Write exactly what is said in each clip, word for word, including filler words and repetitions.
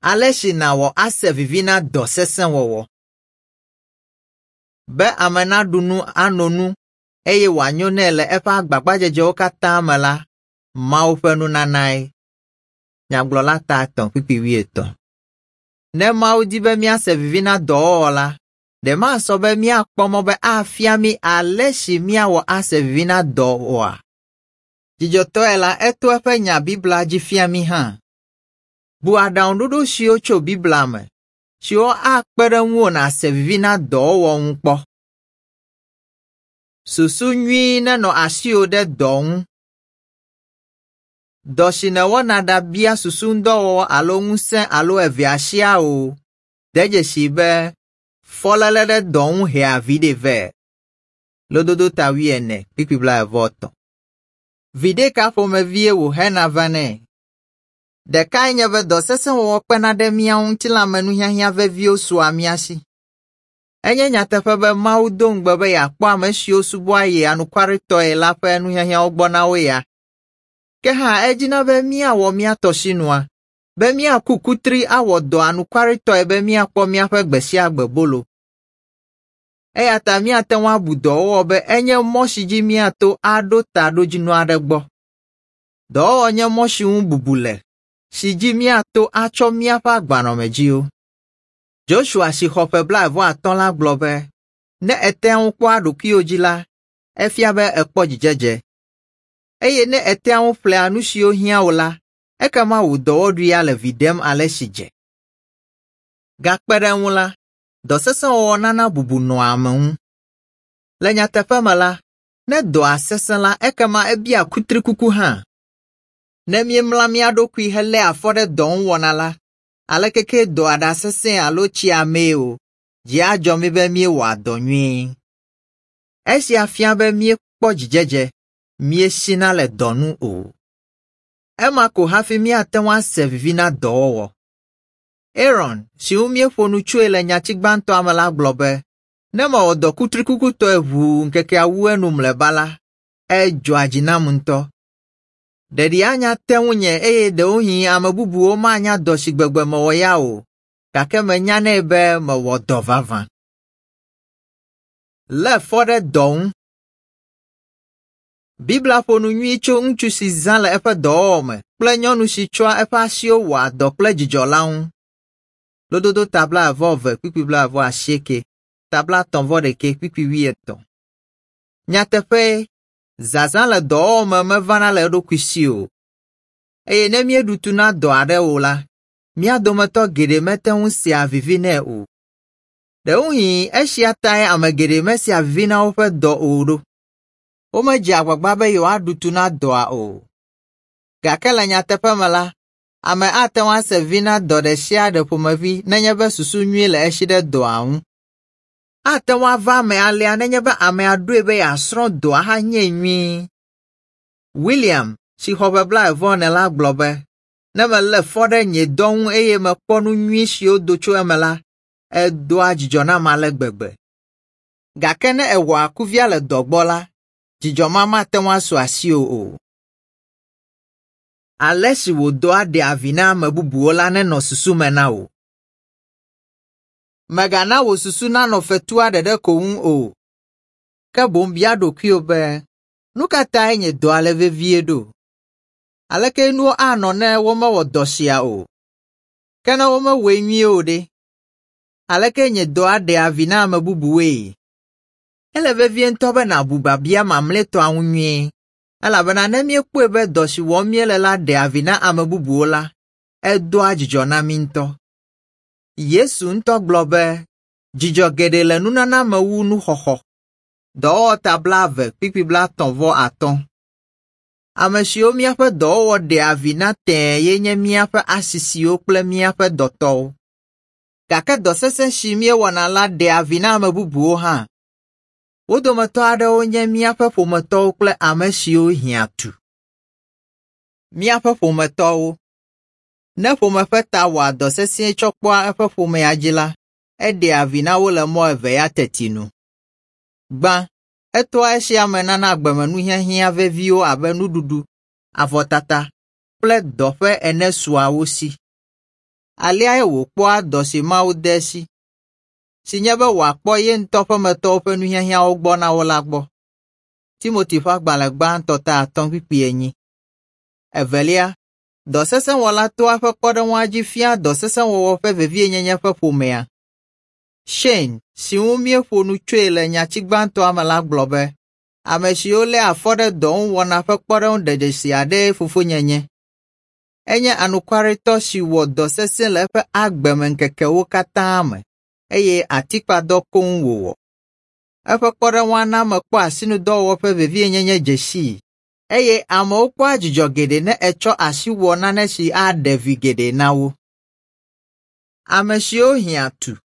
Ale si nàwɔ ase vivi na dɔ sesẽ wɔwɔ. Be ame naɖu nu ano nu eye wòanyo nɛ le eƒe agbagbadzedzewo katã me la, Mawu ƒe nunanae. Nyagblɔla ta etɔ̃ kpukpui wuietɔ̃. Ne Mawu di be míase vivi na dɔwɔwɔ la, ɖe masɔ be míakpɔ mɔ be afia mí ale si míawɔ ase vivi na dɔ oa? Dzidzɔtɔe la, eto eƒe nya Biblia dzi fia mí hã. Bu aɖaŋuɖoɖo siwo tso Biblia me, siwo akpe ɖe ŋuwò nàse vivi na dɔwɔwɔ ŋu kpɔ. Susu nyui nenɔ asiwò ɖe dɔ ŋu. Dɔ si nèwɔna ɖabia susuŋudɔwɔwɔ alo ŋusẽ alo evea siaa o, de dzesii be fɔléle ɖe dɔ ŋu hea viɖe vɛ. Lododo ta wuiene kpukpui blaeve-vɔ-etɔ̃. Viɖe ka ƒomevie wòhena vanɛ? Ɖekae nye be dɔ sesẽ wɔwɔ kpena ɖe mía ŋu ŋutilãmenuhiahiã veviwo sua mía si. Enye nyateƒe be Mawu do ŋugbe be yeakpɔ ame siwo subɔa ye anukwaretɔe la ƒe nuhiahiãwo gbɔ na wo ya. Ke hã edina be míawɔ mía tɔ sinua, be míaku kutri awɔ dɔ anukwaretɔe be míakpɔ míaƒe gbe sia gbe bolo. Eya ta míate ŋu abu dɔwɔwɔ be enye mɔ si dzi míato aɖo taɖodzinu aɖe gbɔ. Dɔwɔwɔ nye mɔ si ŋu bubu le, si dzi míato atsɔ míaƒe agbanɔamedziwo. Joshua si xɔ ƒe blaeve-vɔ-atɔ̃ la gblɔ be, ne ètea ŋu kpɔa ɖokuiwò dzi la, efia be èkpɔ dzidzedze. Eye ne ètea ŋu ƒlea nu siwo hiã wò la, ekema wò dɔwɔɖuia le vi ɖem ale si dze. Gakpe ɖe eŋu la, dɔ sesẽ wɔwɔ nana bubu nɔa ame ŋu. Le nyateƒe me la, ne dɔa sesẽ la, ekema ebia kutrikuku hã. Ne míemla mía ɖokui heléa afɔ ɖe dɔ ŋu wɔna la, aleke ke dɔa ɖa sesẽ alo tsi amee o, dzi adzɔ mí be míewɔa dɔ nyuie. Esia fia be míekpɔ dzidzedze, míesina le dɔ nu o. Ema ko hafi míate ŋu ase vivi na dɔwɔwɔ. Aaron, si ŋu míeƒo nu tsoe le nyati gbãtɔa me la gblɔ be, ne mewɔ dɔ kutrikukutɔe ʋuu ŋkekea wu enu mlɔeba la, edzɔa dzi nam ŋutɔ. Ɖeɖi anya te ŋunye eye ɖewohĩ ame bubuwo manya dɔ si gbegbe mewɔ ya o, gake menyanɛ be mewɔ dɔ vavã. Lé fɔ ɖe dɔ ŋu. Biblia ƒo nu nyui tso ŋutsu si zã le eƒe dɔwɔwɔ me kple nyɔnu si tsɔa eƒe asiwo wɔa dɔ kple dzidzɔ la ŋu. Lododo ta blaeve-vɔ-eve kpukpui blaeve-vɔ-asieke, ta blaetɔ̃-vɔ-ɖekɛ kpukpui wuietɔ̃. Nyateƒee, zazã le dɔwɔwɔ me mevana le eɖokui si o. Eye ne míeɖu tu na dɔ aɖe o la, mía dometɔ geɖe mete ŋu sea vivi nɛ o. Ɖewohĩ esia tae ame geɖe mesea vivi na woƒe dɔ o ɖo. Womedzea agbagba be yewoaɖu tu na dɔa o. Gake le nyateƒe me la, ame ate ŋu ase vivi na dɔ ɖe sia ɖe ƒomevi nenye be susu nyui le esi ɖe dɔa ŋu. Ate ŋu ava eme alea nenye be amea ɖoe be yeasrɔ̃ dɔa hanyee nyuie. William, si xɔ ƒe blaeve-vɔ-ene la gblɔ be, ne melé fɔ ɖe nye dɔ ŋu eye mekpɔ nu nyui siwo do tso eme la, edoa dzidzɔ nam ale gbegbe. Gake ne èwɔ akuvia le dɔ gbɔ la, dzidzɔ ma mate ŋu asu asiwò o. Ale si wò dɔa ɖea vi na ame bubuwo la nenɔ susu me na wò. Mègana wò susu nanɔ fetua ɖeɖe ko ŋu o, ke boŋ bia ɖokuiwò be, nu ka tae nye dɔa le vevie ɖo? Aleke nuwo anɔ ne womewɔ dɔ sia o? Ke ne womewɔe nyuie o ɖe? Aleke nye dɔa ɖea vi na ame bubuwoe? Ele vevie ŋutɔ be nàbu biabia mamlɛtɔa ŋu nyuie, elabena ne míekpɔe be dɔ si wɔm míele la ɖea vi na ame bubuwo la, edoa dzidzɔ na mí ŋutɔ. Yesu ŋutɔ gblɔ be, dzidzɔ geɖe le nunana me wu nuxɔxɔ. Dɔwɔwɔ ta blaeve kpukpui blaetɔ̃-vɔ-atɔ̃. Ame siwo míaƒe dɔwɔwɔ ɖea vi na tẽe ye nye míaƒe asisiwo kple míaƒe dɔtɔwo. Gake dɔ sesẽ si míewɔna la ɖea vi na ame bubuwo hã. Wo dometɔ aɖewo nye míaƒe ƒometɔwo kple ame siwo hiã tu. Míaƒe ƒometɔwo. Ne ƒome ƒe ta wɔa dɔ sesĩe tsɔ kpɔa eƒe ƒomea dzi la, eɖea vi na wo le mɔ eve ya teti nu. Gbã, etoa esia me nana agbemenuhiahiã veviwo abe nuɖuɖu, avɔtata kple dɔƒe ene sua wo si. Aleae wòkpɔa dɔ si Mawu de esi, si nye be wòakpɔ ye ŋutɔ ƒemetɔwo ƒe nuhiahiãwo gbɔ na wo la gbɔ. Timoti ƒe agbalẽ gbãtɔ ta atɔ̃ kpukpui enyi. Evelia, dɔ sesẽ wɔla toa eƒe kpɔɖeŋua dzi fiaa dɔ sesẽ wɔwɔ ƒe vevienyenye ƒe ƒomea. Shane, si ŋu míeƒo nu tsoe le nyati gbãtɔa me la gblɔ be, ame siwo léa afɔ ɖe dɔ ŋu wɔna ƒe kpɔɖeŋu ɖedzesi aɖee fofonye nye. Enye anukwaretɔ si wɔ dɔ sesẽ le eƒe agbemeŋkekewo katã me eye atikpadɔ koŋ wòwɔ. Eƒe kpɔɖeŋua na mekpɔ asinudɔwɔwɔ ƒe vevienyenye dze sii eye amewo kpɔa dzidzɔ geɖe ne etsɔ asi wɔ nane si aɖe vi geɖe na wo. Ame siwo hiã tu.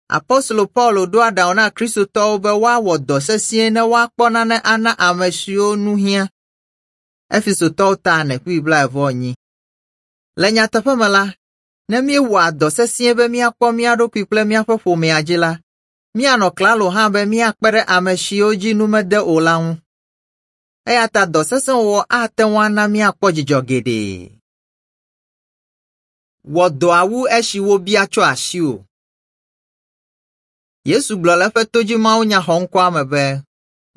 Apostolo Paulo ɖo aɖaŋu na Kristotɔwo be woawɔ dɔ sesĩe ne woakpɔ nane ana ame siwo nu hiã. Efesotɔwo ta ene kpukpui blaeve-vɔ-enyi. Le nyateƒe me la, ne míewɔa dɔ sesĩe be míakpɔ mía ɖokui kple míaƒe ƒomea dzi la, míanɔ klalo hã be míakpe ɖe ame siwo dzi nu mede o la ŋu. Eya ta dɔ sesẽ wɔwɔ ate ŋu ana míakpɔ dzidzɔ geɖe. Wɔ dɔa wu esi wobia tso asiwò. Yesu gblɔ le eƒe todzimawunya xɔŋkɔa me be,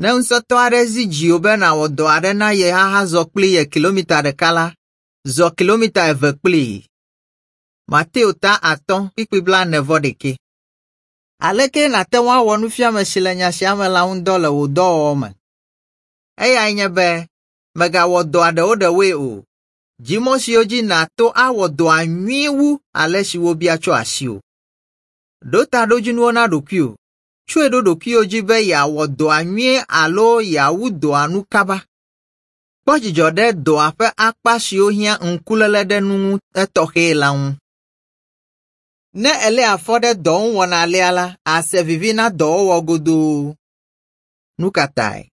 ne ŋusẽtɔ aɖe zi dziwò be nàwɔ dɔ aɖe na ye ahazɔ kpli ye kilomita ɖeka la, zɔ kilomita eve kplii. Mateo ta atɔ̃ kpukpui blaene vɔ ɖekɛ. Aleke nàte ŋu awɔ nufiame si le nya sia me la ŋu dɔ le wò dɔwɔwɔ me? Eyae nye be mègawɔ dɔa ɖewoɖewoe o. Di mɔ siwo dzi nàto awɔ dɔa nyuie wu ale si wobia tso asiwò. Ɖo taɖodzinuwo na ɖokuiwò. Tsɔe ɖo ɖokuiwò dzi be yeawɔ dɔa nyuie alo yeawu dɔa nu kaba. Kpɔ dzidzɔ ɖe dɔa ƒe akpa siwo hiã ŋkuléle ɖe nu ŋu etɔxɛe la ŋu. Ne èlé afɔ ɖe dɔ ŋu wɔna alea la, àse vivi na dɔwɔwɔ godoo. Nu ka tae?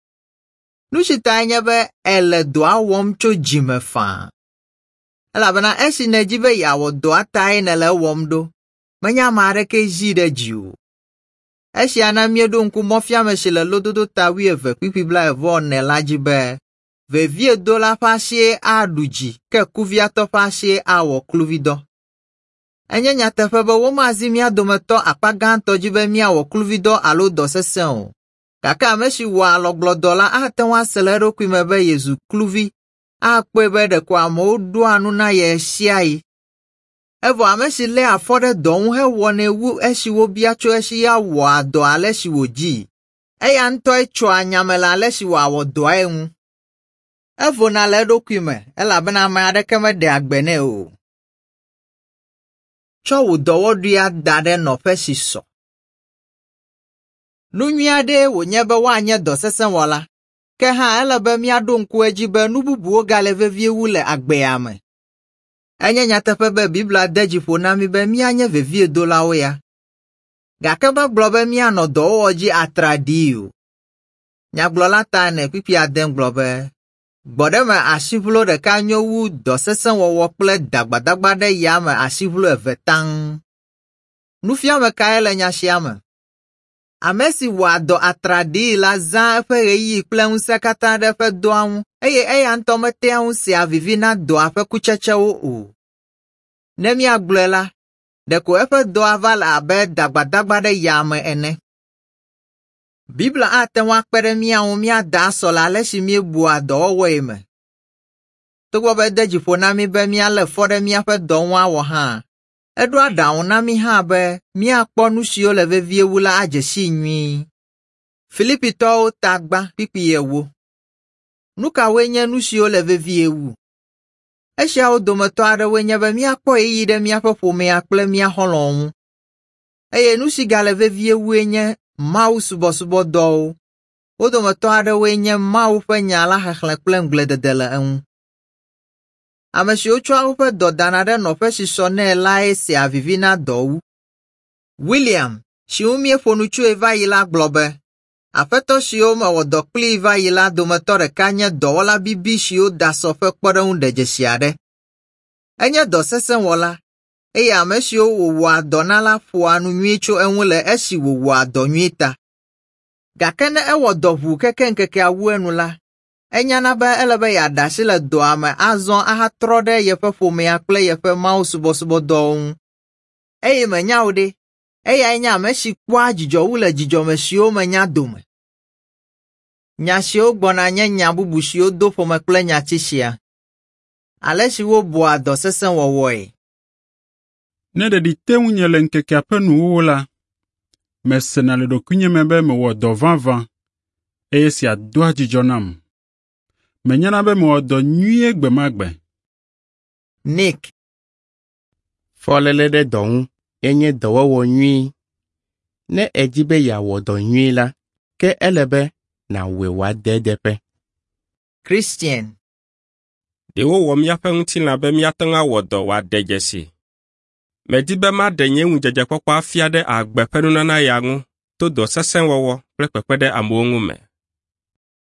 Nu si tae nye be èle dɔa wɔm tso dzi me faa. Elabena esi nèdi be yeawɔ dɔa tae nèle ewɔm ɖo, menye ame aɖeke zii ɖe dziwò. Esia na míeɖo ŋku mɔfiame si le lododo ta wuieve kpukpui blaeve-vɔ-ene la dzi be, veviedola ƒe asie aɖu dzi ke kuviatɔ ƒe asie awɔ kluvidɔ. Enye nyateƒe be womazi mía dometɔ akpa gãtɔ dzi be míawɔ kluvidɔ alo dɔ sesẽ o. Gake ame si wɔa alɔgblɔdɔ la ate ŋu ase le eɖokui me be yezu kluvi, akpɔe be ɖeko amewo ɖoa nu na ye ɣesiaɣi. Evɔ ame si léa afɔ ɖe dɔ ŋu hewɔnɛ wu esi wobia tso esi ya wɔa dɔ ale si wòdii. Eya ŋutɔe tsoa nya me le ale si wòawɔ dɔae ŋu. Evona le eɖokui me elabena ame aɖeke meɖea gbe nɛ o. Tsɔ wò dɔwɔɖuia da ɖe nɔƒe si sɔ. Nu nyui aɖee wònye be woanye dɔ sesẽ wɔla, ke hã ele be míaɖo ŋku edzi be nu bubuwo gale vevie wu le agbea me. Enye nyateƒe be Biblia de dzi ƒo na mí be míanye veviedolawo ya, gake megblɔ be míanɔ dɔwɔwɔ dzi atraɖii o. Nyagblɔla ta ene kpukpui ade gblɔ be, gbɔɖeme asiʋlo ɖeka nyo wu dɔ sesẽ wɔwɔ kple dagbadagba ɖe yame asiʋlo eve taŋ. Nufiame kae le nya sia me? Ame si wɔa dɔ atraɖii la zãa eƒe ɣeyiɣi kple ŋusẽ katã ɖe eƒe dɔa ŋu eye eya ŋutɔ metea ŋu sea vivi na dɔa ƒe kutsetsewo o. Ne míagblɔe la, ɖeko eƒe dɔa va le abe dagbadagba ɖe yame ene. Biblia ate ŋu akpe ɖe mía ŋu míada asɔ le ale si míebua dɔwɔwɔe me. Togbɔ be ede dzi ƒo na mí be míalé fɔ ɖe míaƒe dɔ ŋu awɔ hã, eɖo aɖaŋu na mí hã be míakpɔ nu siwo le vevie wu la adze sii nyuie. Filipitɔwo ta gbã kpukpui ewo. Nu kawoe nye nu siwo le vevie wu? Esiawo dometɔ aɖewoe nye be míakpɔ ɣeyiɣi ɖe míaƒe ƒomea kple mía xɔlɔ̃wo ŋu. Eye nu si gale vevie wue nye Mawu subɔsubɔdɔwo. Wo dometɔ aɖewoe nye Mawu ƒe nya la xexlẽ kple ŋugbledede le eŋu. Ame siwo tsɔa woƒe dɔ dana ɖe nɔƒe si sɔ nɛ lae sea vivi na dɔ wu. William, si ŋu míeƒo nu tsoe va yi la gblɔ be, aƒetɔ siwo mewɔ dɔ kplii va yi la dometɔ ɖeka nye dɔwɔla bibi siwo da sɔ ƒe kpɔɖeŋu ɖedzesi aɖe. Enye dɔ sesẽ wɔla eye ame siwo wòwɔa dɔ na la ƒoa nu nyui tso eŋu le esi wòwɔa dɔ nyui ta. Gake ne ewɔ dɔ ʋuu keke ŋkekea wu enu la, Enyana be ele be yeaɖe asi le dɔa me azɔ ahatrɔ ɖe yeƒe ƒomea kple yeƒe mawusubɔsubɔdɔwo ŋu. Eye menya o ɖe, eyae nye ame si kpɔa dzidzɔ wu le dzidzɔme siwo menya dome. Nya siwo gbɔna nye nya bubu siwo do ƒome kple nyati sia. Ale si wobua dɔ sesẽ wɔwɔe. Ne ɖeɖi te ŋunye le ŋkekea ƒe nuwuwu la, mesena le ɖokuinye me be mewɔ dɔ vavã eye esia doa dzidzɔ nam. Menyana be mewɔ dɔ nyuie gbe ma gbe. Nick. Fɔléle ɖe dɔ ŋu enye dɔwɔwɔ nyui. Ne èdi be yeawɔ dɔ nyui la, ke ele be nàwɔe wòade edeƒe. Christian. Ɖe wowɔ míaƒe ŋutilã be míate ŋu awɔ dɔ wòaɖe dzesi. Medi be maɖe nye ŋudzedzekpɔkpɔ afia ɖe agbe ƒe nunana ya ŋu to dɔ sesẽ wɔwɔ kple kpekpe ɖe amewo ŋu me.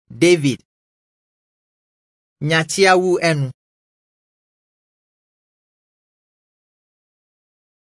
David. Nyatia wu enu.